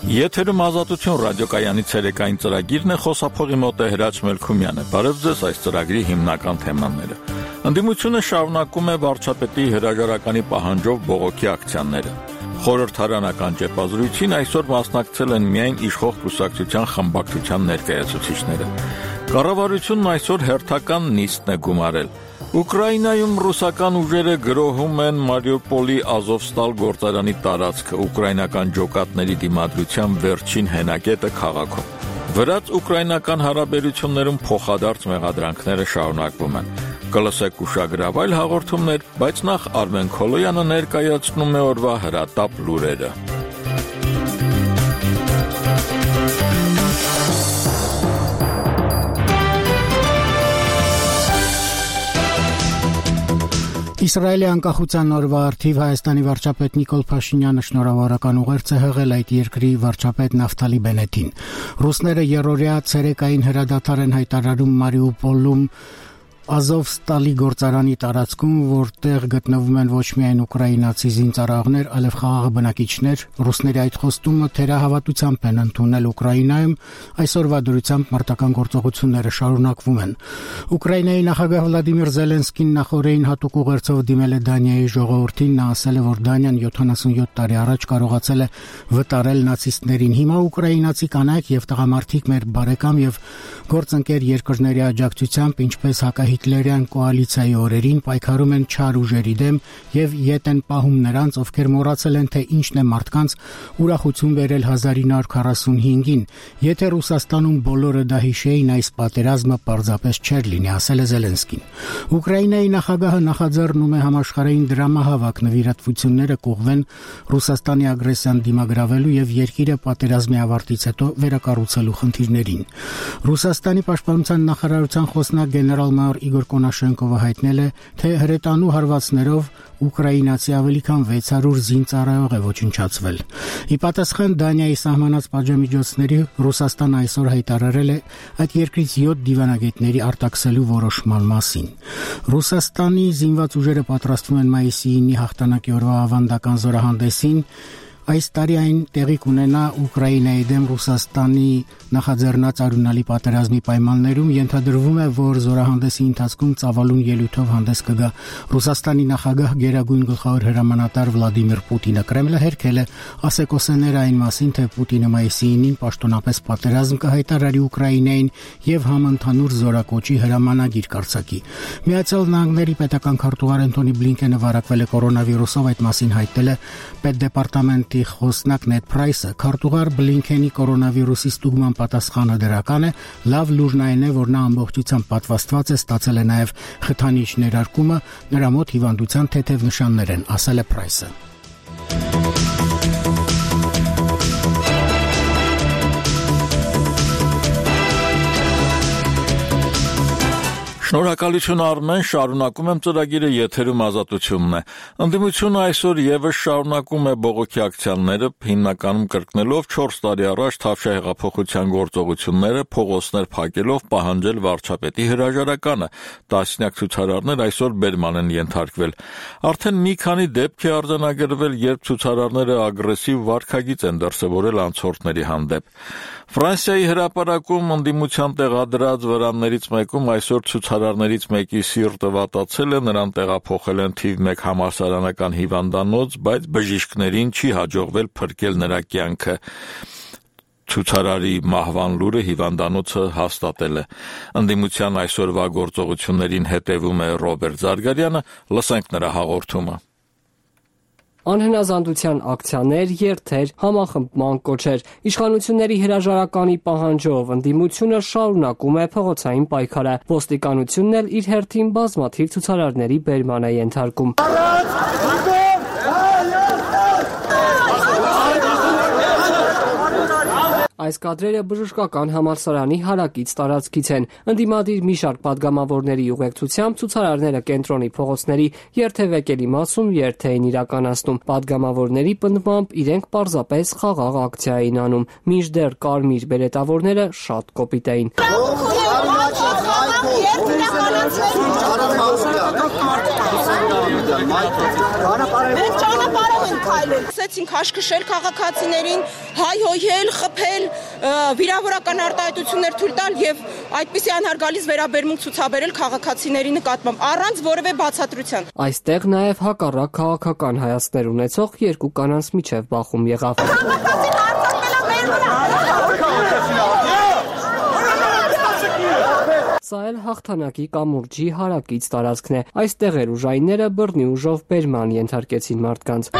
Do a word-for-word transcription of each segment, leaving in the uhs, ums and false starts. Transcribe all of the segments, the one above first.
Եթերում Ազատություն ռադիոկայանի ցերեկային ծրագիրն է, խոսափողի մոտ է Հրաչ Մելքումյանը։ Բարև ձեզ, այս ծրագրի հիմնական թեմաները։ Ընդդիմությունը շարունակում է վարչապետի հրաժարականի պահանջով բողոքի ակցիաները։ Խորհրդարանական ճեպազրույցին այսօր մասնակցել են միայն իշխող կուսակցության խմբակցության ներկայացուցիչները։ Կառավարությունն այսօր հերթական նիստն է գումարել։ Ուկրաինայում ռուսական ուժերը գրոհում են Մարիուպոլի Ազովստալ գործարանի տարածքը, ուկրաինական ջոկատների դիմադրության վերջին հենակետը քաղաքում։ Վրաց-ուկրաինական հարաբերություններում փոխադարձ մեղադրանքները շարունակվում են։ Կլսեք ուշագրավ այլ հաղորդումներ, բայց նախ Արմեն Քոլոյանը ներկայացնում է օրվա հրատապ լուրերը։ Իսրայելի անկախության օրվա առթիվ Հայաստանի վարչապետ Նիկոլ Փաշինյանը շնորհավորական ուղերձ է հղել այդ երկրի վարչապետ Նավթալի Բենետին։ Ռուսները երրորդյա ցերեկային հրադադար են հայտարարում Մարիուպոլում Ազովստալի գործարանի տարածքում, որտեղ գտնվում են ոչ միայն ուկրաինացի զինծառայողներ, այլև խաղաղ բնակիչներ, ռուսների այդ խոստումը թերահավատությամբ են ընդունել Ուկրաինայում, այսօրվա դրությամբ մարտական գործողությունները շարունակվում են։ Ուկրաինայի նախագահ Վլադիմիր Զելենսկին նախորդին հատուկ ուղերձով դիմել է Դանիայի ժողովրդին, նա ասել է, որ Դանիան յոթանասունյոթ տարի առաջ կարողացել է վտարել նացիստներին։ Հիմա ուկրաինացի կանայք եւ տղամարդիկ մեր բարեկամ եւ գործընկեր երկրների աջակցությամբ, ինչպես հակահի Հիտլերյան կոալիցիայի օրերին պայքարում են չար ուժերի դեմ եւ ետ են պահում նրանց, ովքեր մոռացել են, թե ինչն է մարդկանց ուրախություն բերել հազար ինը հարյուր քառասունհինգին։ Եթե Ռուսաստանում բոլորը դա հիշեին, այս պատերազմը պարզապես չէր լինի, ասել է Զելենսկին։ Ուկրաինայի նախագահը նախաձեռնում է համաշխարհային դրամահավաք, նվիրատվությունները կուղվեն Ռուսաստանի ագրեսիան դիմագրավելու եւ երկիրը պատերազմի ավարտից հետո վերակառուցելու խնդիրներին։ Ռուսաստանի պաշտպանության նախարարության խոսնակ գեներալ-մայոր Իգոր Կոնաշենկովը հայտնել է, թե հրետանու հարվածներով ուկրաինացի ավելի քան վեց հարյուր զինծառայող է ոչնչացվել։ Ի պատասխան Դանիայի սահմանած պատժամիջոցների Ռուսաստանը այսօր հայտարարել է այդ երկրից յոթ դիվանագետների արտաքսելու որոշման մասին։ Ռուսաստանի զինված ուժերը պատրաստվում են մայիսի ինը հաղթանակի օրվա ավանդական զորահանդեսին։ Այս տարի այն տեղի կունենա Ուկրաինայի դեմ Ռուսաստանի նախաձեռնած արյունալի պատերազմի պայմաններում, ենթադրվում է, որ զորահանդեսի ընթացքում ծավալուն ելույթով հանդես կգա Ռուսաստանի նախագահ գերագույն գլխավոր հրամանատար Վլադիմիր Պուտինը։ Կրեմլը հերքել է ասեկոսեներ այն մասին, թե Պուտինը մայիսի ինին պաշտոնապես պատերազմ կհայտարարի Ուկրաինային եւ համընդհանուր զորակոչի հրամանագիր կարձակի։ Միացյալ Նահանգների պետական քարտուղար Անթոնի Բլինկենը վարակվել է կորոնավիրուսով, այդ մասին հայտնել է պետդեպարտամենտի խոսնակ Նեդ Պրայսը։ Քարտուղար Բլինքենի կորոնավիրուսի ստուգման պատասխանը դրական է, լավ լուրն այն է, որ նա ամբողջությամբ պատվաստված է, ստացել է նաև խթանիչ ներարկումը, նրա մոտ հիվանդության թեթև նշաններ են, ասել է Պրայսը։ Շնորհակալություն Արմեն, շարունակում եմ ծրագիրը, եթերում Ազատությունն է։ Ընդդիմությունը այսօր եւս շարունակում է բողոքի ակցիաները, հիմնականում կրկնելով չորս տարի առաջ Թավշյա հեղափոխության գործողությունները, փողոցներ փակելով պահանջել վարչապետի հրաժարականը։ Տասնյակ ցուցարարներ այսօր բերման են ենթարկվել։ Արդեն մի քանի դեպք է արձանագրվել, երբ ցուցարարները ագրեսիվ վարքագիծ են դրսևորել անցորդների հանդեպ։ Ֆրանսիայի հրապարակում ընդդիմության տեղադրած վրաններից մեկում այսօր ցուցարարներից մեկի սիրտը վատացել է, նրան տեղափոխել են թիվ մեկ համալսարանական հիվանդանոց, բայց բժիշկներին չի հաջողվել փրկել նրա կյանքը։ Ցուցարարի մահվան լուրը հիվանդանոցը հաստատել է։ Ընդդիմության այսօրվա գործողություններին հետևում է Ռոբերտ Զարգարյանը, լսենք նրա հաղորդումը։ Անհնազանդության ակցիաներ, երթեր, համախմբման կոչեր։ Իշխանությունների հրաժարականի պահանջով ընդդիմությունը շարունակում է փողոցային պայքարը։ Ոստիկանությունն էլ իր հերթին բազմաթիվ ցուցարարների բերման է ենթարկում։ Այս կադրերը բժշկական համալսարանի հարակից տարածքից են։ Ընդդիմադիր մի շարք պատգամավորների ուղեկցությամբ ցուցարարները կենտրոնի փողոցների երթևեկելի մասում երթ էին իրականացնում։ Պատգամավորների պնդմամբ իրենք պարզապես խաղաղ ակցիա էին անում, մինչդեռ կարմիր բերետավորները շատ կոպիտ էին։ Մենք ճանապարհով ենք քայլել։ Սկսեցինք հաշկշել քաղաքացիներին, հայհոյել, խփել, վիրավորական արտահայտություններ թույլ տալ եւ այդպիսի անհարգալից վերաբերմունք ցուցաբերել քաղաքացիների նկատմամբ առանց որևէ բացատրության։ Այստեղ նաեւ հակառակ քաղաքական հայացքներ ունեցող երկու կանանց միջև բախում եղավ։ Սա էլ հաղթանակի կամուրջի հարակից տարածքն է։ Այստեղ էր ուժայինները բռնի ուժով բերման ենթարկեցին մարդկանց։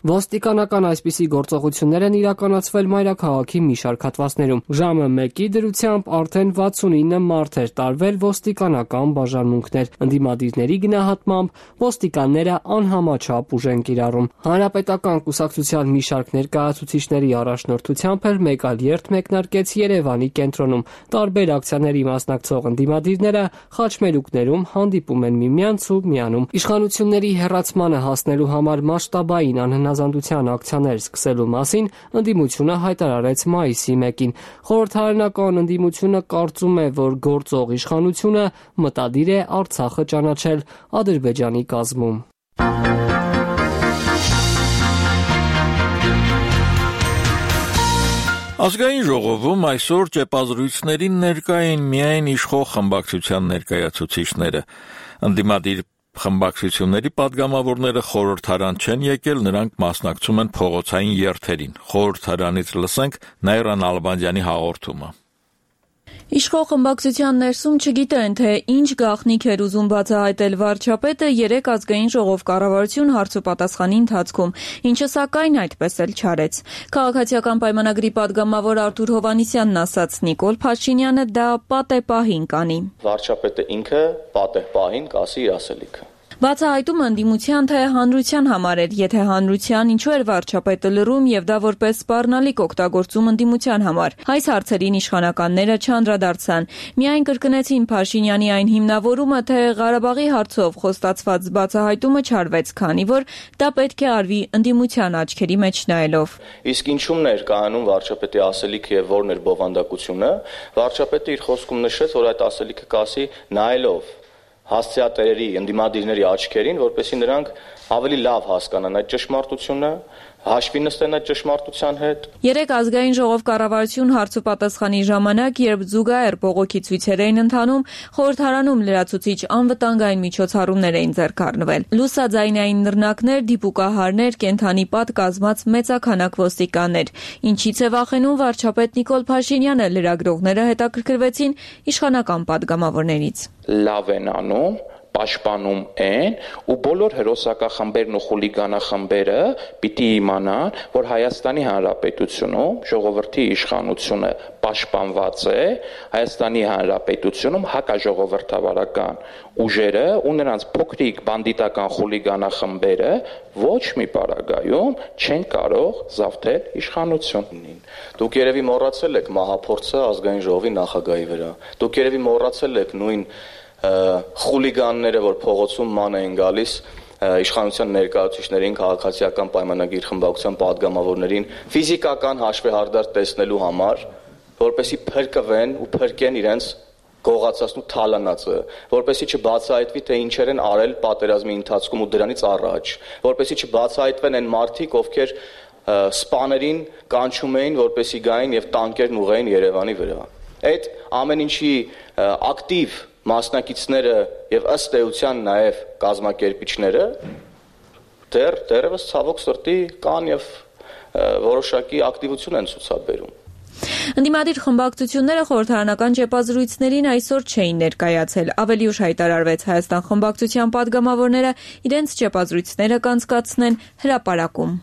Ոստիկանական այսպիսի գործողություններ են իրականացվել մայրաքաղաքի մի շարք հատվածներում։ Ժամը մեկի դրությամբ արդեն վաթսունինը մարդ էր տարվել ոստիկանական բաժանմունքներ։ Ընդդիմադիրների գնահատմամբ ոստիկանները անհամաչափ ուժ են կիրառում։ Հանրապետական կուսակցության մի շարք ներկայացուցիչների առաջնորդությամբ էլ մեկ այլ երթ մեկնարկեց Երևանի կենտրոնում։ Տարբեր ակցիաների մասնակցող ընդդիմադիրները խաչմերուկներում հանդիպում են միմյանց ու միանում։ Իշխանությունների հեռացմանը հասնելու համար մասշտաբային անհնազանդության ակցիաներ սկսելու մասին ընդդիմությունը հայտարարեց մայիսի մեկին։ Խորհրդարանական ընդդիմությունը կարծում է, որ գործող իշխանությունը մտադիր է Արցախը ճանաչել Ադրբեջանի կազմում։ Ազգային ժողովում այսօր ճեպազրույցներին ներկա էին միայն իշխող խմբակցության ներկայացուցիչները։ Ընդդիմադիր խմբակցությունների падգամավորները խորհրդարան չեն եկել, նրանք մասնակցում են փողոցային երթերին։ Խորհրդարանից լսենք Նաիրա Նալբանդյանի հաղորդումը։ Իշխող խմբակցության ներսում չգիտեն, թե ինչ գաղտնիք էր ուզում բացահայտել վարչապետը երեկ ազգային ժողով կառավարություն հարցուպատասխանի ընթացքում, ինչը սակայն այդպես էլ չարեց։ Քաղաքացիական պայմանագրի падգամավոր Արթուր Հովհաննիսյանն ասաց, Նիկոլ Փաշինյանը դա պատե պահին կանի։ Վարչապետը ինքը պատե պահին կասի իր ասելիքը։ Բացահայտումը ընդդիմության թե հանրության համար էր, եթե հանրության ինչու էր վարչապետը լռում եւ դա որպես սպառնալիք օգտագործում ընդդիմության համար։ Այս հարցերին իշխանականները չանդրադարձան։ Միայն կրկնեցին Փաշինյանի այն հիմնավորումը, թե Ղարաբաղի հարցով խոստացված բացահայտումը չարվեց, քանի որ դա պետք է արվի ընդդիմության աչքերի մեջ նայելով։ Իսկ ինչումն էր կայանում վարչապետի ասելիքը եւ որն էր բովանդակությունը, վարչապետը իր խոսքում նշեց, որ այդ ասելիքը կասի նայելով հասցեատերերի, ընդդիմադիրների աչքերին, որպեսզի նրանք ավելի լավ հասկանան այդ ճշմարտությունը, հաշվի նստեն այդ ճշմարտության հետ։ Երեք ազգային ժողով կառավարություն հարցուպատասխանի ժամանակ, երբ զուգահեռ բողոքի ցույցեր էին ընթանում, խորհրդարանում լրացուցիչ անվտանգային միջոցառումներ էին ձեռք առնվել։ Լուսաձայնային նռնակներ, դիպուկահարներ, կենդանի պատ կազմած մեծաքանակ ոստիկաններ։ Ինչից է վախենում վարչապետ Նիկոլ Փաշինյանը, լրագրողները հետաքրքրվեցին իշխանական падգամավորներից։ Լավ են անում, պաշտպանում են ու բոլոր հերոսակախմբերն ու խուլիգանախմբերը պիտի իմանան, որ Հայաստանի Հանրապետությունում ժողովրդի իշխանությունը պաշտպանված է, Հայաստանի Հանրապետությունում հակաժողովրդավարական ուժերը ու նրանց փոքրիկ բանդիտական խուլիգանախմբերը ոչ մի պարագայում չեն կարող զավթել իշխանությունին։ Դուք երևի մոռացել եք մահափորձը ազգային ժողովի նախագահի վրա։ Դուք երևի մոռացել եք նույն խուլիգանները, որ փողոցում ման էին գալիս իշխանության ներկայացուցիչներին, քաղաքացիական պայմանագիր խմբակցության падգամավորներին ֆիզիկական հաշվեհարդար տեսնելու համար, որպեսզի փրկվեն ու փրկեն իրենց գողացածն ու թալանածը, որպեսզի չբացահայտվի, թե ինչեր են արել պատերազմի ընթացքում ու դրանից առաջ, որպեսզի չբացահայտվեն այն մարդիկ, ովքեր սպաներին կանչում էին, որպեսզի գային եւ տանկերն ուղղեին Երևանի վրա։ Այդ ամեն ինչի ակտիվ մասնակիցները եւ ըստ էության նաեւ կազմակերպիչները դեռ դեռևս ցավոք սրտի կան եւ որոշակի ակտիվություն են ցուցաբերում։ Ընդդիմադիր խմբակցությունները խորհրդարանական ճեպազրույցներին այսօր չէին ներկայացել։ Ավելի ուշ հայտարարվեց Հայաստան խմբակցության падգամավորները իրենց ճեպազրույցները կանցկացնեն հրապարակում։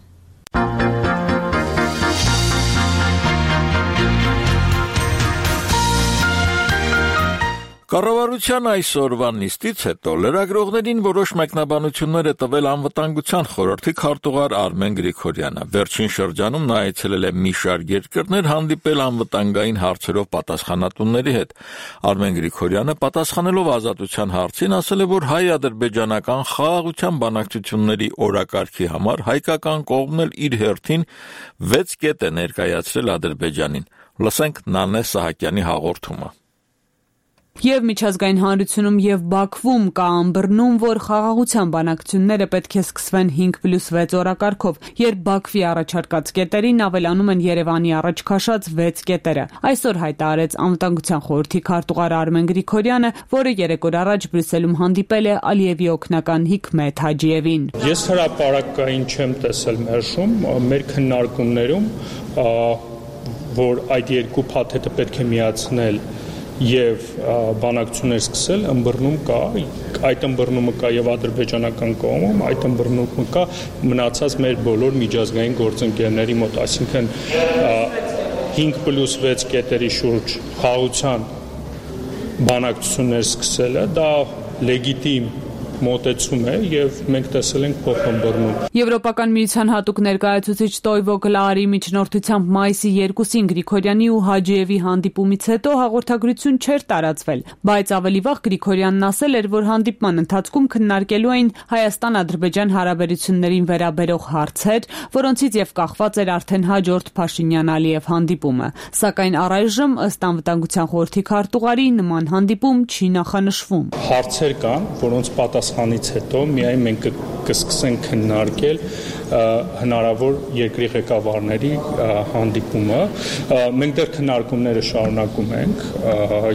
Կառավարության այսօրվա նիստից հետո լրագրողներին որոշ մեկնաբանություններ է տվել անվտանգության խորհրդի քարտուղար Արմեն Գրիգորյանը։ Վերջին շրջանում նա այցելել է մի շարք երկրներ, հանդիպել անվտանգային հարցերով պատասխանատուների հետ։ Արմեն Գրիգորյանը պատասխանելով Ազատության հարցին ասել է, որ հայ-ադրբեջանական խաղաղության բանակցությունների օրակարգի համար հայկական կողմն էլ իր հերթին վեց կետ է ներկայացրել Ադրբեջանին։ Լսենք Նանե Սահակյանի հաղորդումը։ Եվ միջազգային հանրությունում եւ Բաքվում կա ըմբռնում, որ խաղաղության բանակցությունները պետք է սկսվեն հինգ պլյուս վեց օրակարգով, երբ Բաքվի առաջարկած կետերին ավելանում են Երևանի առաջ քաշած վեց կետերը։ Այսօր հայտարարեց Անվտանգության խորհրդի քարտուղար Արմեն Գրիգորյանը, որը երեք օր առաջ Բրյուսելում հանդիպել է Ալիևի օգնական Հիկմետ Հաջիևին։ Ես հրապարակային չեմ տեսել մերժում, մեր քննարկումներում, որ այդ երկու փաթեթը պետք է միացնել եւ բանակցություններ սկսել, ըմբռնում կա, այդ ըմբռնումը կա եւ ադրբեջանական կողմում, այդ ըմբռնումը կա մնացած մեր բոլոր միջազգային գործընկերների մոտ, այսինքն հինգ պլյուս վեց կետերի շուրջ խաղաղության բանակցություններ սկսելը դա լեգիտիմ մոտեցում է եւ մենք տեսել ենք փոխըմբռնում։ Եվրոպական միության հատուկ ներկայացուցիչ Տոյվո Կլարի միջնորդությամբ մայիսի երկուսին Գրիգորյանի ու Հաջիևի հանդիպումից հետո հաղորդագրություն չէր տարածվել, բայց ավելի վաղ Գրիգորյանն ասել էր, որ հանդիպման ընթացքում քննարկելու էին Հայաստան-Ադրբեջան հարաբերություններին վերաբերող հարցեր, որոնցից եւ կախված էր արդեն հաջորդ Փաշինյան-Ալիև հանդիպումը։ Սակայն առայժմ ըստ Անվտանգության խորհրդի քարտուղարի նման հանդիպում չի նախանշվում։ Հարցեր կան, որոնց պատասխանից հետո միայն մենք կսկսենք քննարկել հնարավոր երկրի ղեկավարների հանդիպումը։ Մենք դեռ քննարկումները շարունակում ենք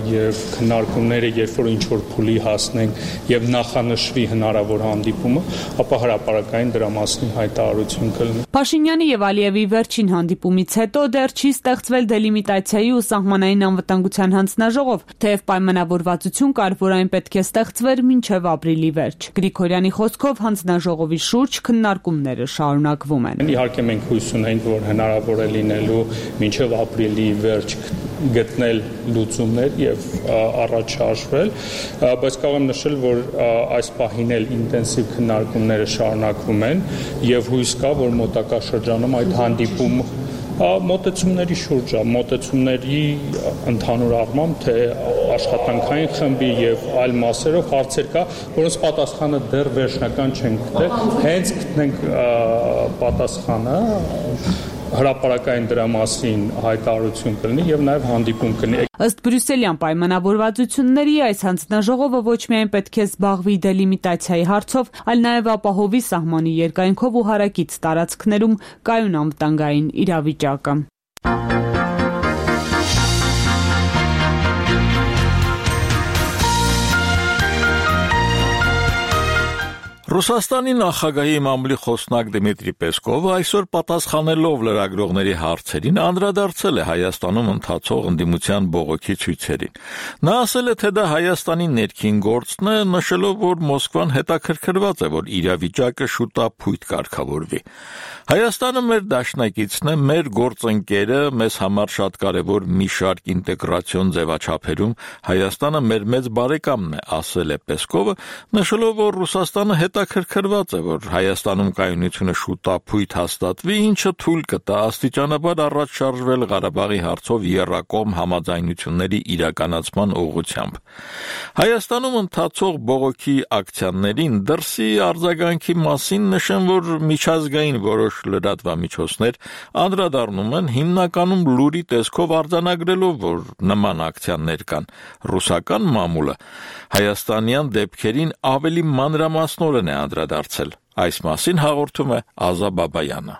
եւ քննարկումները երբ որ ինչ որ փուլի հասնենք եւ նախանշվի հնարավոր հանդիպումը, ապա հրապարակային դրա մասին հայտարարություն կլինի։ Փաշինյանի եւ Ալիևի վերջին հանդիպումից հետո դեռ չի ստեղծվել դելիմիտացիայի ու սահմանային անվտանգության հանձնաժողով, թեև պայմանավորվածություն կար, որ այն պետք է ստեղծվեր մինչեւ ապրիլի վերջ։ Գրիգորյանի խոսքով հանձնաժողովի շուրջ քննարկումները շարունակվում են։ Իհարկե մենք հույս ունենք, որ հնարավոր է լինելու մինչև ապրիլի վերջ գտնել լուծումներ եւ առաջ շարժվել, բայց կարող եմ նշել, որ այս պահին էլ ինտենսիվ քննարկումները շարունակվում են եւ հույս կա, որ մոտակա շրջանում այդ հանդիպումը մոտեցումների շուրջ է, մոտեցումների ընդհանուր առմամբ, թե աշխատանքային խմբի եւ այլ մասերով հարցեր կա, որոնց պատասխանը դեռ վերջնական չեն գտել, հենց գտնենք պատասխանը հրապարակային դրա մասին հայտարարություն կլինի եւ նաեւ հանդիպում կլինի։ Ըստ բրյուսելյան պայմանավորվածությունների այս հանձնաժողովը ոչ միայն պետք է զբաղվի դելիմիտացիայի հարցով, այլ նաեւ ապահովի սահմանի երկայնքով ու հարակից տարածքներում կայուն անվտանգային իրավիճակը։ Ռուսաստանի նախագահի մամուլի խոսնակ Դմիտրի Պեսկովը այսօր պատասխանելով լրագրողների հարցերին անդրադարձել է Հայաստանում ընթացող ընդդիմության բողոքի ցույցերին։ Նա ասել է, թե դա Հայաստանի ներքին գործն է, նշելով, որ Մոսկվան հետաքրքրված է, որ իրավիճակը շուտապույտ կարգավորվի։ Հայաստանը մեր դաշնակիցն է, մեր գործընկերը, մեզ համար շատ կարևոր մի շարք ինտեգրացիոն ձևաչափերում Հայաստանը մեր մեծ բարեկամն է, ասել է Պեսկովը, նշելով, որ Ռուսաստանը հետաքրքրված է, որ Հայաստանում կայունությունը շուտապույտ հաստատվի, ինչը թույլ կտա աստիճանաբար առաջ շարժվել Ղարաբաղի հարցով եռակողմ համաձայնությունների իրականացման ուղղությամբ։ Հայաստանում ընթացող բողոքի ակցիաներին դրսի արձագանքի մասին նշեմ, որ միջազգային որոշ լրատվամիջոցներ անդրադառնում են հիմնականում լուրի տեսքով արձանագրելով, որ նման ակցիաներ կան։ Ռուսական մամուլը հայաստանյան դեպքերին ավելի մանրամասնորեն է անդրադարձել։ Այս մասին հաղորդում է Ազա Բաբայանը։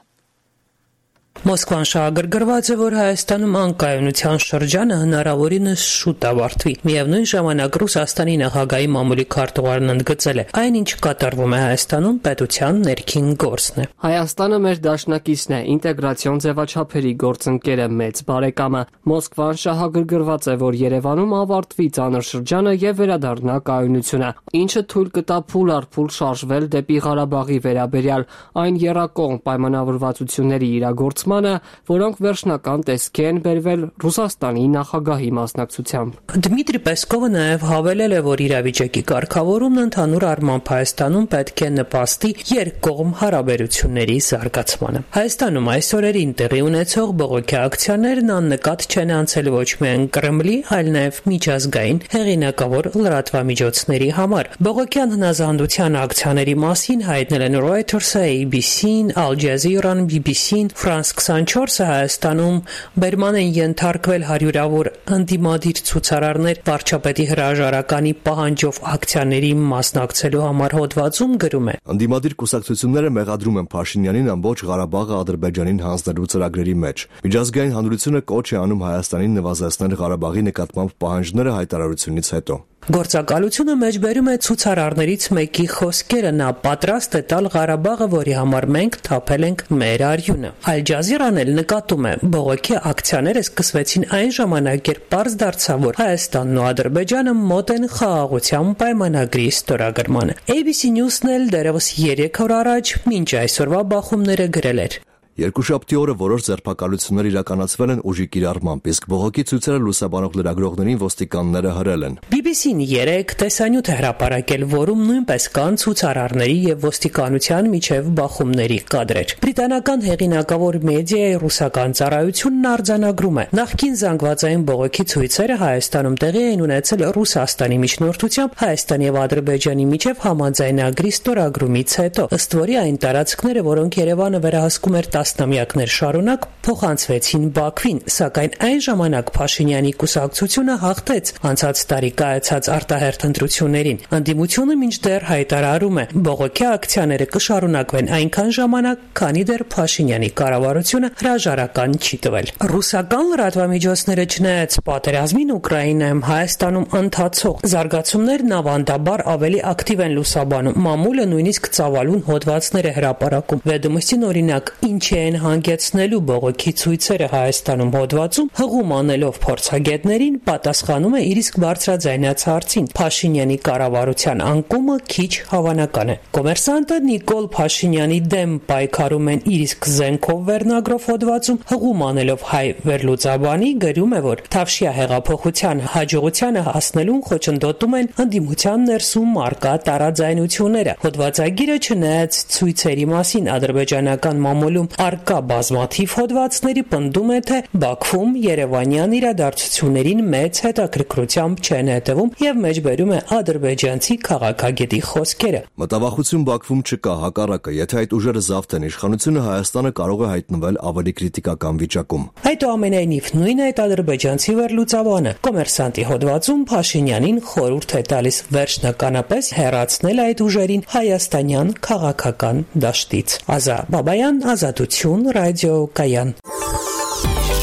Մոսկվան շահագրգռված է, որ Հայաստանում անկայունության շրջանը հնարավորինս շուտ ավարտվի։ Միևնույն ժամանակ Ռուսաստանի նախագահի մամուլի քարտուղարն ընդգծել է, այն ինչ կատարվում է Հայաստանում պետության ներքին գործն է։ Հայաստանը մեր դաշնակիցն է, ինտեգրացիոն ձևաչափերի գործընկերը, մեծ բարեկամը։ Մոսկվան շահագրգռված է, որ Երևանում ավարտվի ծանր շրջանը եւ վերադառնա կայունությունը, ինչը թույլ կտա փուլ առ փուլ շարժվել դեպի Ղարաբաղի վերաբերյալ այն եռակողմ պայմանավորվածությունների իրագործումը, որոնք վերջնական տեսքի են բերվել Ռուսաստանի նախագահի մասնակցությամբ։ Դմիտրի Պեսկովը նաև հավելել է, որ իրավիճակի կարգավորումն ընդհանուր առմամբ Հայաստանում պետք է նպաստի երկկողմ հարաբերությունների զարգացմանը։ Հայաստանում այս օրերին տեղի ունեցող բողոքի ակցիաներն աննկատ չեն անցել ոչ միայն Կրեմլի, այլ նաև միջազգային հեղինակավոր լրատվամիջոցների համար։ Բողոքյան հնազանդության ակցիաների մասին հայտնել են Reuters-ը, A B C-ն, Al Jazeera-ն, B B C-ն, France քսանչորսը Հայաստանում բերման են ենթարկվել հարյուրավոր ընդդիմադիր ցուցարարներ վարչապետի հրաժարականի պահանջով ակցիաների մասնակցելու համար հոդվածում գրում է. Ընդդիմադիր կուսակցությունները մեղադրում են Փաշինյանին ամբողջ Ղարաբաղը Ադրբեջանին հանձնելու ծրագրերի մեջ։ Միջազգային հանրությունը կոչ է անում Հայաստանին նվազեցնել Ղարաբաղի նկատմամբ պահանջները հայտարարությունից հետո։ Գործակալությունը մեջբերում է ցուցարարներից մեկի խոսքերը, նա պատրաստ է տալ Ղարաբաղը, որի համար մենք թափել ենք մեր արյունը։ Ալ Ջազիրան էլ նկատում է, բողոքի ակցիաները սկսվեցին այն ժամանակ, երբ պարզ դարձավ, որ Հայաստանն ու Ադրբեջանը մոտ են խաղաղության պայմանագրի ստորագրմանը։ A B C News-ն էլ դեռևս երեք օր առաջ մինչ այսօրվա բախումները գրել էր. Երկուշաբթի օրը որոշ ձերբակալություններ իրականացվել են ուժի կիրառմամբ, իսկ բողոքի ցույցերը լուսաբանող լրագրողներին ոստիկանները հրել են։ B B C-ն երեք տեսանյութ է հրապարակել, որում նույնպես կան ցուցարարների եւ ոստիկանության միջև բախումների կադրեր։ Բրիտանական հեղինակավոր մեդիայի ռուսական ծառայությունն արձանագրում է. նախկին զանգվածային բողոքի ցույցերը Հայաստանում տեղի են ունեցել Ռուսաստանի միջնորդությամբ Հայաստանի եւ Ադրբեջանի միջև համաձայնագրի ստորագրումից հետո, ըստ որի այն տարածքները, որոնք Երևանը վերահսկում էր տասնամյակներ շարունակ, փոխանցվեցին Բաքվին, սակայն այն ժամանակ Փաշինյանի կուսակցությունը հաղթեց անցած տարի կայացած արտահերթ ընտրություններին։ Ընդդիմությունը մինչդեռ հայտարարում է, բողոքի ակցիաները կշարունակվեն այնքան ժամանակ, քանի դեռ Փաշինյանի կառավարությունը հրաժարական չի տվել։ Ռուսական լրատվամիջոցները չնայած պատերազմին Ուկրաինայում Հայաստանում ընթացող զարգացումներն ավանդաբար ավելի ակտիվ են լուսաբանում։ Մամուլը նույնիսկ ծավալուն հոդվածներ է հրապարակում։ Վերդումստին օրինակ ինչ են հանգեցնելու բողոքի ցույցերը Հայաստանում հոդվածում հղում անելով փորձագետներին պատասխանում է իր իսկ բարձրաձայնած հարցին. Փաշինյանի կառավարության անկումը քիչ հավանական է։ Կոմերսանտը Նիկոլ Փաշինյանի դեմ պայքարում են իր իսկ զենքով վերնագրով հոդվածում հղում անելով հայ վերլուծաբանի գրում է, որ Թավշյա հեղափոխության հաջողությանը հասնելուն խոչընդոտում են ընդդիմության ներսում արկա տարաձայնությունները։ Հոդվածագիրը չնայած ցույցերի մասին ադրբեջանական մամուլում արկա բազմաթիվ հոդվածների պնդում է, թե Բաքվում երևանյան իրադարձություններին մեծ հետաքրքրությամբ չեն հետևում եւ մեջբերում է ադրբեջանցի քաղաքագետի խոսքերը։ Մտավախություն Բաքվում չկա, հակառակը, եթե այդ ուժերը զավթեն իշխանությունը, Հայաստանը կարող է հայտնվել ավելի քրիտիկական վիճակում։ Այդուամենայնիվ նույն այդ ադրբեջանցի վերլուծաբանը Կոմերսանտի հոդվածում Փաշինյանին խորհուրդ է տալիս վերջնականապես հեռացնել այդ ուժերին հայաստանյան քաղաքական դաշտից։ Ազա Բաբայան, Ազատություն, ռադիո Կայան։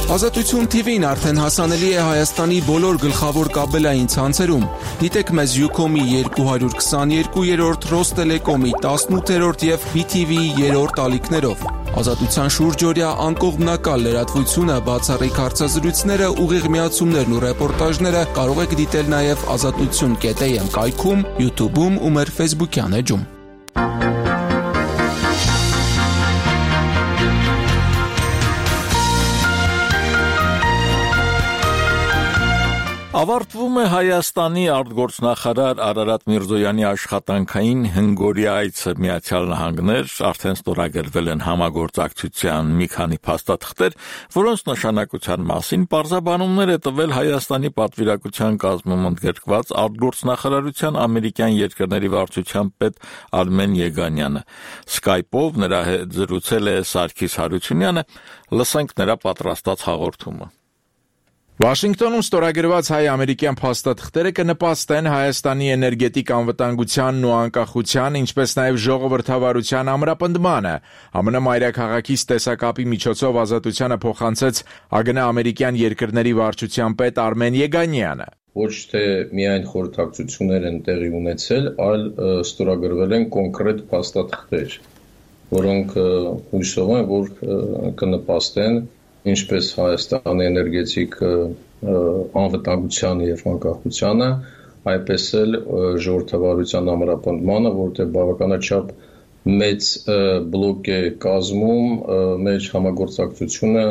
Ազատություն T V-ն արդեն հասանելի է Հայաստանի բոլոր գլխավոր կաբելային ցանցերում։ Դիտեք մեզ Ucom-ի երկու հարյուր քսաներկուերորդ, Ռոստելեկոմի տասնութերորդ եւ B T V-ի երրորդ ալիքներով։ Ազատության շուրջօրյա անկողմնակալ լրատվությունը, բացառիկ հարցազրույցները, ուղիղ միացումներն ու ռեպորտաժները կարող եք դիտել նաեւ ազատություն կետ A M կայքում, YouTube-ում ու մեր Facebook-յան էջում։ Ավարտվում է Հայաստանի արտգործնախարար Արարատ Միրզոյանի աշխատանքային հնգօրյա այցը Միացյալ Նահանգներ, արդեն ստորագրվել են համագործակցության մի քանի փաստաթղթեր, որոնց նշանակության մասին պարզաբանումներ է տվել Հայաստանի պատվիրակության կազմում ընդգրկված արտգործնախարարության ամերիկյան երկրների վարչության պետ Արմեն Եգանյանը։ Skype-ով նրա հետ զրուցել է Սարգիս Հարությունյանը, լսենք նրա պատրաստած հաղորդումը։ Վաշինգտոնում ստորագրված հայ-ամերիկյան փաստաթղթերը կնպաստեն Հայաստանի էներգետիկ անվտանգությանն ու անկախության, ինչպես նաև ժողովրդավարության ամրապնդմանը։ ԱՄՆ մայրաքաղաքից տեսակապի միջոցով ազատությանը փոխանցեց ԱԳՆ ամերիկյան երկրների վարչության պետ Արմեն Եգանյանը։ Ոչ թե միայն խորհրդակցություններ են տեղի ունեցել, այլ ստորագրվել են կոնկրետ փաստաթղթեր, որոնք հույսով են, որ կնպաստեն ինչպես Հայաստանի էներգետիկ անվտանգությանը եւ անկախությանը, այդպես էլ ժողովրդավարության ամրապնդմանը, որտեղ բավականաչափ մեծ բլոկ է կազմում մեր համագործակցությունը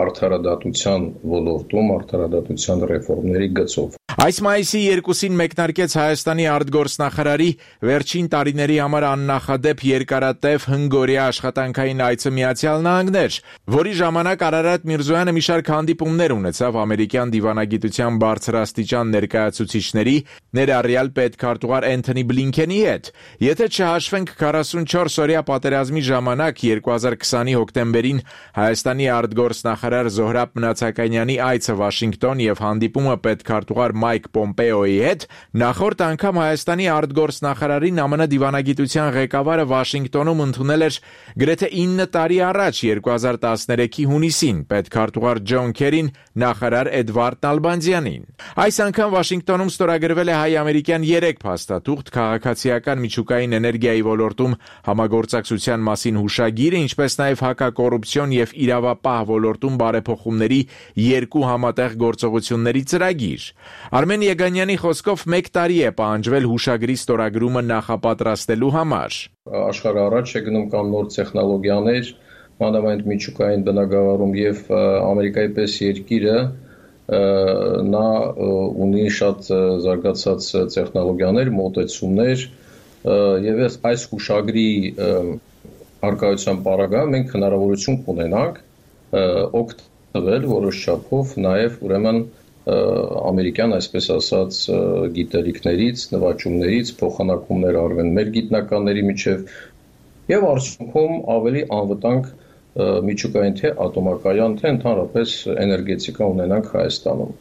արդարադատության ոլորտում, արդարադատության ռեֆորմների գծով։ Այս մայիսի երկուսին մեկնարկեց Հայաստանի արտգործնախարարի վերջին տարիների համար աննախադեպ երկարատև հնգօրյա աշխատանքային այցը Միացյալ Նահանգներ, որի ժամանակ Արարատ Միրզոյանը մի շարք հանդիպումներ ունեցավ ամերիկյան դիվանագիտության բարձրաստիճան ներկայացուցիչների, ներառյալ պետքարտուղար Էնթոնի Բլինքենի հետ։ Եթե չհաշվենք քառասունչորս օրյա պատերազմի ժամանակ երկու հազար քսանի հոկտեմբերին Հայաստանի արտգործնախարար Զոհրաբ Մնացականյանի այցը Վաշինգտոն եւ հանդիպումը պետքարտուղար Մայք Պոմպեոյի հետ, նախորդ անգամ Հայաստանի արտգործնախարարին ԱՄՆ դիվանագիտության ղեկավարը Վաշինգտոնում ընդունել էր գրեթե ինը տարի առաջ երկու հազար տասներեքի հունիսին պետքարտուղար Ջոն Քերին նախարար Էդվարդ Նալբանդյանին։ Այս անգամ Վաշինգտոնում ստորագրվել է հայ-ամերիկյան երեք փաստաթուղթ քաղաքացիական միջուկային էներգիայի ոլորտում համագործակցության մասին հուշագիրը, ինչպես նաև հակակոռուպցիոն եւ իրավապահ ոլորտում բարեփոխումների երկու համատեղ գործողությունների ծրագիր։ Արմեն Եգանյանի խոսքով մեկ տարի է պահանջվել հուշագրի ստորագրումը նախապատրաստելու համար։ Աշխարհը առաջ է գնում կան նոր տեխնոլոգիաներ, մանավանդ միջուկային բնագավառում եւ Ամերիկայի պես երկիրը նա ունի շատ զարգացած տեխնոլոգիաներ, մոտեցումներ եւ այս հուշագրի արկայության պարագայում մենք հնարավորություն կունենանք օգտվել որոշ չափով նաեւ ուրեմն ամերիկյան, այսպես ասած, գիտելիքներից, նվաճումներից, փոխանակումներ արվեն մեր գիտնականների միջև եւ արդյունքում ավելի անվտանգ միջուկային թե ատոմակայան, թե ընդհանրապես էներգետիկա ունենանք Հայաստանում։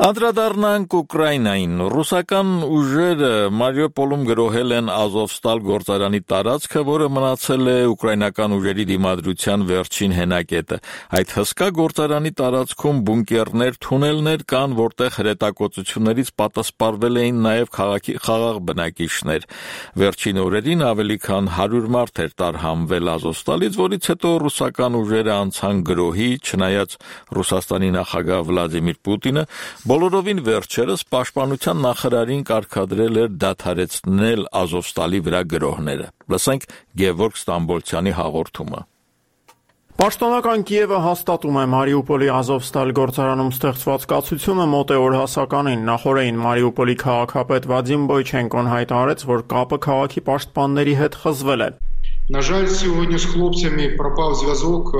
Անդրադառնանք Ուկրաինային։ Ռուսական ուժերը Մարիուպոլում գրոհել են Ազովստալ գործարանի տարածքը, որը մնացել է ուկրաինական ուժերի դիմադրության վերջին հենակետը։ Այդ հսկա գործարանի տարածքում բունկերներ, թունելներ կան, որտեղ հրետակոծություններից պատասպարվել էին նաև քաղաքի խաղաղ բնակիչներ։ Վերջին օրերին ավելի քան հարյուր մարդ էր տարհանվել Ազովստալից, որից հետո ռուսական ուժերը անցան գրոհի, չնայած Ռուսաստանի նախագահ Վլադիմիր Պուտինը բոլորովին վերջերս պաշտպանության նախարարին կարգադրել էր դադարեցնել Ազովստալի վրա գրոհները։ Լսենք Գևորգ Ստամբոլցյանի հաղորդումը։ Պաշտոնական Կիևը հաստատում է Մարիուպոլի Ազովստալ գործարանում ստեղծված կացությունը մոտ է օրհասականին։ Նախորդին Մարիուպոլի քաղաքապետ Վադիմ Բոյչենկոն հայտարարեց, որ կապը քաղաքի պաշտպանների հետ խզվել է։ На жаль, сегодня с хлопцами пропал зв'язок.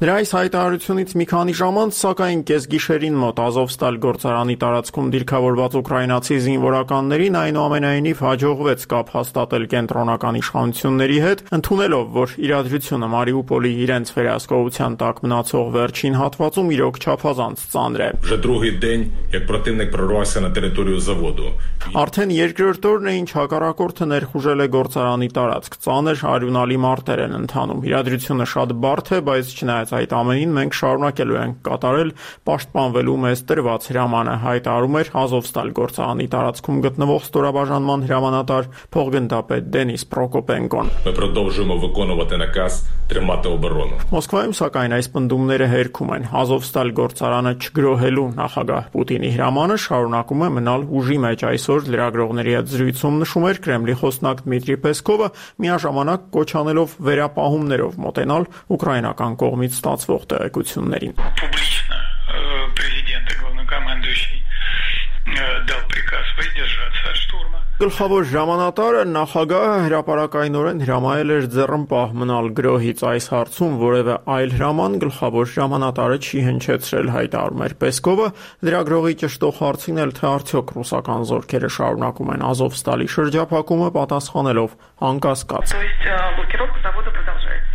Դրա այս հայտարարությունից մի քանի ժամ անց, սակայն կեսգիշերին մոտ Ազովստալ գործարանի տարածքում դիրքավորված ուկրաինացի զինվորականներին այնուամենայնիվ հաջողվեց կապ հաստատել կենտրոնական իշխանությունների հետ, ընդունելով, որ իրադրությունը Մարիուպոլի իրենց վերահսկողության տակ մնացող վերջին հատվածում իրոք չափազանց ծանր է։ Вже другий день, як противник прорвався на територію заводу. Արդեն երկրորդ օրն է, ինչ հակառակորդը ներխուժել է գործարանի տարածք։ Ծանր արյունալի մարտեր են ընթանում։ Իրադրությունը շատ բարդ է, բայց չնայած այդ ամենին մենք շարունակելու ենք կատարել պաշտպանվելու մեզ տրված հրամանը, հայտարարում էր Ազովստալ գործարանի տարածքում գտնվող ստորաբաժանման հրամանատար փոխգնդապետ Դենիս Պրոկոպենկոն։ Ми продовжуємо виконувати наказ тримати оборону. Մոսկվայում սակայն այս պնդումները հերքում են։ Ազովստալ գործարանը չգրոհելու նախագահ Պուտինի հրամանը շարունակում է մնալ ուժի մեջ։ Այսօր լրագրողների հետ զրույցում նշում էր Կրեմլի խոսնակ Դմիտրի Պեսկովը, միաժամանակ կոչ անելով վերապահումներով մոտենալ ուկրաինական կողմից ստացվող տեղեկություններին։ Публично президент и главнокомандующий дал приказ воздержаться от штурма. Գլխավոր հրամանատարը նախագահը հրապարակայնորեն հրամայել էր ձեռնպահ մնալ գրոհից այս հարցում որևէ այլ հրաման գլխավոր հրամանատարը չի հնչեցրել, հայտարարում էր Պեսկովը, լրագրողի ճշտող հարցին էլ թե արդյոք ռուսական զորքերը շարունակում են Ազովստալի շրջափակումը, պատասխանելով անկասկած։ То есть блокировка завода продолжается.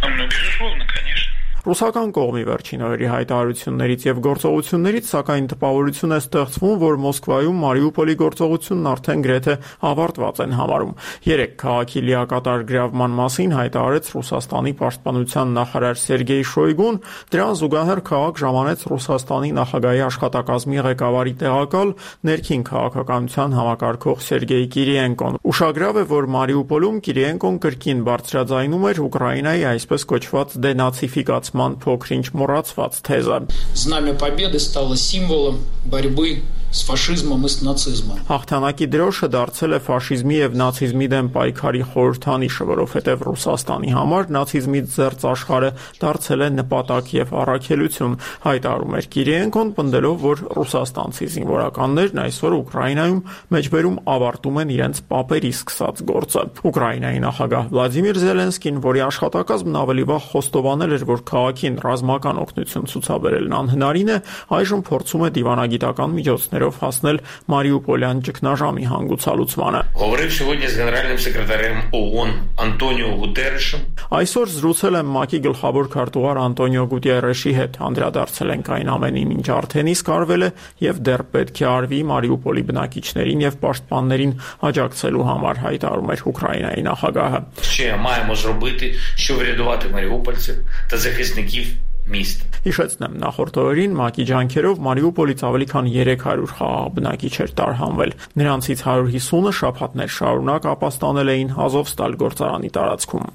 Ну, безусловно, конечно. Ռուսական կողմի վերջին օրերի հայտարարություններից եւ գործողություններից սակայն տպավորություն է ստեղծվում, որ Մոսկվայում Մարիուպոլի գործողությունն արդեն գրեթե ավարտված են համարում։ Երեք քաղաքի լիակատար գրավման մասին հայտարարեց Ռուսաստանի պաշտպանության նախարար Սերգեյ Շոյգուն, դրան զուգահեռ քաղաք ժամանեց Ռուսաստանի նախագահի աշխատակազմի ղեկավարի տեղակալ ներքին քաղաքականության համակարգող Սերգեյ Կիրիենկոն։ Ուշագրավ է, որ Մարիուպոլում Կիրիենկոն կրկին բարձրաձայնում էր Ուկրաինայի այսպես կոչված դենացիֆիկացման փոքրինչ մոռացված թեզը։ Знамя Победы стало символом борьбы с фашизмом и с нацизмом. Հաղթանակի դրոշը դարձել է ֆաշիզմի եւ նացիզմի դեմ պայքարի խորհրդանիշը, որովհետեւ Ռուսաստանի համար նացիզմից զերծ աշխարհը դարձել է նպատակ եւ առաքելություն, հայտարարում էր Կիրիենկոն, պնդելով, որ ռուսաստանցի զինվորականներն այսօր Ուկրաինայում մեջբերում ավարտում են իրենց պապերի սկսած գործը։ Ուկրաինայի նախագահ Վլադիմիր Զելենսկին, որի աշխատակազմն ավելի վաղ խոստովանել էր, որ քաղաքին ռազմական օգնություն ցուցաբերելն անհնարին է, այժմ փորձում է դիվանագիտական միջոցներով հասնել Մարիուպոլյան ճգնաժամի հանգուցալուծմանը։ Այսօր զրուցել եմ ՄԱԿ-ի գլխավոր քարտուղար Անտոնիո Գուտիերեշի հետ, անդրադարձել ենք այն ամենին, ինչ արդեն իսկ արվել է եւ դեռ պետք է արվի Մարիուպոլի բնակիչներին եւ պաշտպաններին աջակցելու համար, հայտարարում էր Ուկրաինայի նախագահը։ Հիշեցնեմ, նախորդ օրերին ՄԱԿ-ի ջանքերով Մարիուպոլից ավելի քան երեք հարյուր խաղաղ բնակիչ էր տարհանվել։ Նրանցից հարյուր հիսունը շաբաթներ շարունակ ապաստանել էին Ազովստալ գործարանի տարածքում։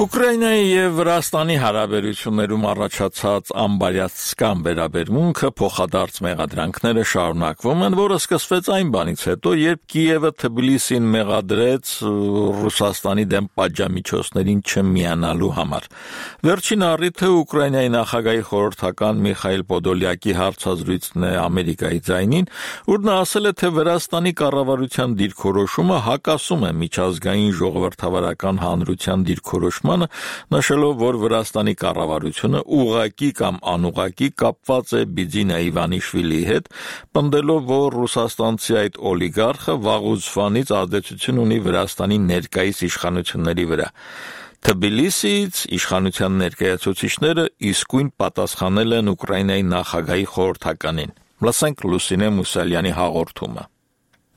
Ուկրաինայի եւ Վրաստանի հարաբերություններում առաջացած անբարյացկամ վերաբերմունքը փոխադարձ մեղադրանքները շարունակվում են, որը սկսվեց այն բանից հետո, երբ Կիևը Թբիլիսին մեղադրեց Ռուսաստանի դեմ պատժամիջոցներին չմիանալու համար։ Վերջին առիթը Ուկրաինայի նախագահի խորհրդական Միխայիլ Պոդոլյակի հարցազրույցն է Ամերիկայի ձայնին, ուր նա ասել է, թե Վրաստանի կառավարության դիրքորոշումը հակասում է միջազգային ժողովրդավարական հանրության դիրքորոշմանը, նշելով, որ Վրաստանի կառավարությունը ուղղակի կամ անուղղակի կապված է Բիձինա Իվանիշվիլիի հետ, պնդելով, որ ռուսաստանցի այդ օլիգարխը վաղուց ազդեցություն ունի Վրաստանի ներկայիս իշխանությունների վրա։ Թբիլիսիից իշխանության ներկայացուցիչները իսկույն պատասխանել են Ուկրաինայի նախագահի խորհրդականին։ Լսենք Լուսինե Մուսալյանի հաղորդումը։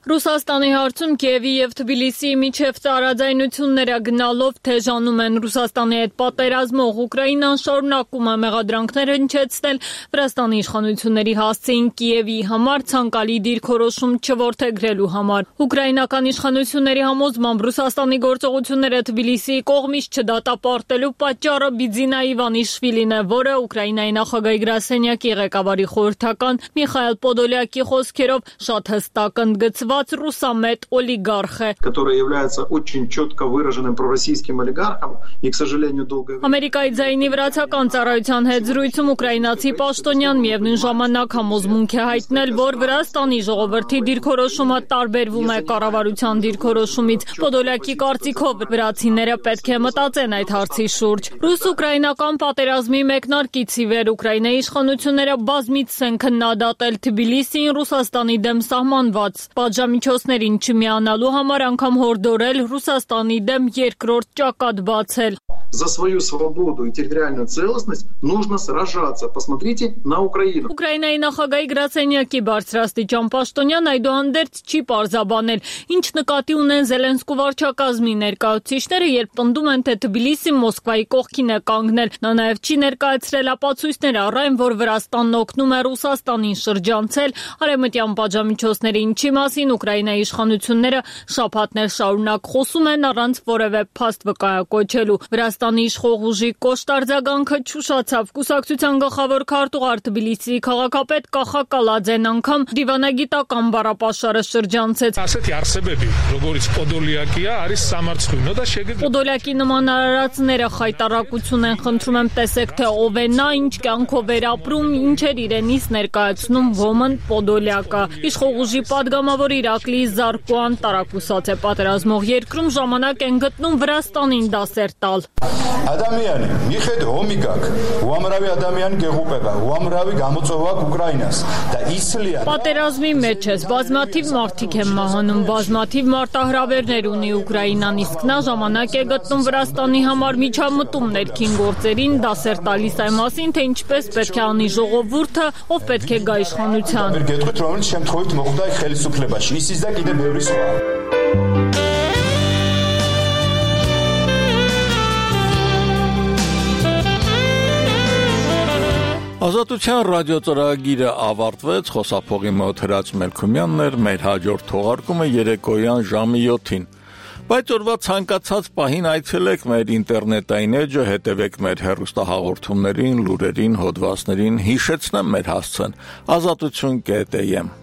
Ռուսաստանի հարցում Կիևի եւ Թբիլիսիի միջև տարաձայնությունները գնալով թեժանում են։ Ռուսաստանի հետ պատերազմող Ուկրաինան շարունակում է մեղադրանքներ հնչեցնել Վրաստանի իշխանությունների հասցեին Կիևի համար ցանկալի դիրքորոշում չորդեգրելու համար։ Ուկրաինական իշխանությունների համոզմամբ Ռուսաստանի գործողությունները Թբիլիսիի կողմից չդատապարտելու պատճառը Բիձինա Իվանիշվիլին է, որը Ուկրաինայի նախագահի գրասենյակի ղեկավարի խորհրդական Միխայիլ Պոդոլյակի խոսքերով շատ հստակ ընդգծված русамет олигархи, который является очень четко выраженным пророссийским олигархом и, к сожалению, долгое время. Ամերիկայի ձայնի վրացական ծառայության հետ զրույցում ուկրաինացի պաշտոնյան միևնույն ժամանակ համոզմունք է հայտնել, որ Վրաստանի ժողովրդի դիրքորոշումը տարբերվում է կառավարության դիրքորոշումից։ Պոդոլյակի կարծիքով վրացիները պետք է մտածեն այդ հարցի շուրջ։ Ռուս-ուկրաինական պատերազմի մեկնարկից ի վեր Ուկրաինայի իշխանությունները բազմիցս են քննադատել Թբիլիսիին Ռուսաստանի դեմ սահմանված պատժամիջոցներին չմիանալու համար անգամ հորդորել Ռուսաստանի դեմ երկրորդ ճակատ բացել։ За свою свободу и территориальную целостность нужно сражаться. Посмотрите на Украину. Ուկրաինայի նախագահի գրասենյակի բարձրաստիճան պաշտոնյան այդուհանդերձ չի պարզաբանել, ինչ նկատի ունեն Զելենսկու վարչակազմի ներկայացուցիչները, երբ պնդում են, թե Թբիլիսին Մոսկվայի կողքին է կանգնել։ Նա նաև չի ներկայացրել ապացույցներ առ այն, որ Վրաստանն օգնում է Ռուսաստանին շրջանցել արևմտյան պատժամիջոցների, ինչի մասին Ուկրաինայի իշխանությունները շաբաթներ շարունակ խոսում են առանց որևէ փաստ վկայակոչելու։ Վրաստանի իշխող ուժի կոշտ արձագանքը չուշացավ։ Կուսակցության գլխավոր քարտուղար Թբիլիսիի քաղաքապետ Կախա Կալաձեն անգամ դիվանագիտական բառապաշարը շրջանցեց։ Պոդոլյակի նման արարածները խայտարակություն են խնդրում, եմ տեսեք, թե ով է նա, ինչ կյանքով էր ապրում, ինչ էր իրենից ներկայացնում Ոմն Պոդոլյակը։ Իշխող ուժի падգամավոր Իրակլի Զարկոան տարակուսած է պատերազմող երկրում ժամանակ են գտնում Վրաստանին դասեր տալ։ Ადამიანი, մի խետ հոմի գաք, ուամրավի Ադամյան գեղուպեղա, ուամրավի գամոցովակ Ուկրաինաս, դա իսլիա։ Պատերազմի մեջ ես, բազմաթիվ մարդիկ են մահանում, բազմաթիվ մարտահրավերներ ունի Ուկրաինան, իսկ նա ժամանակ է գտնում Վրաստանի համար միջամտում ներքին գործերին, դասեր տալիս այն մասին, թե ինչպես պետք է անի ժողովուրդը, ով պետք է գա իշխանության։ Գետყვით ռոմից չեմ թողույթ մոխտայ խելսուքլեբաշ, իսիզդա գիտե բևրիս Ազատության ռադիոծրագիրը ավարտվեց, խոսափողի մոտ Հրաց Մելքումյանն էր, մեր հաջորդ թողարկումը երեկոյան ժամի յոթին։ Բայց օրվա ցանկացած պահին այցելեք մեր ինտերնետային էջը, հետևեք մեր հեռուստահաղորդումներին, լուրերին, հոդվածներին, հիշեցնեմ մեր հասցեն ազատություն կետ էյ էմ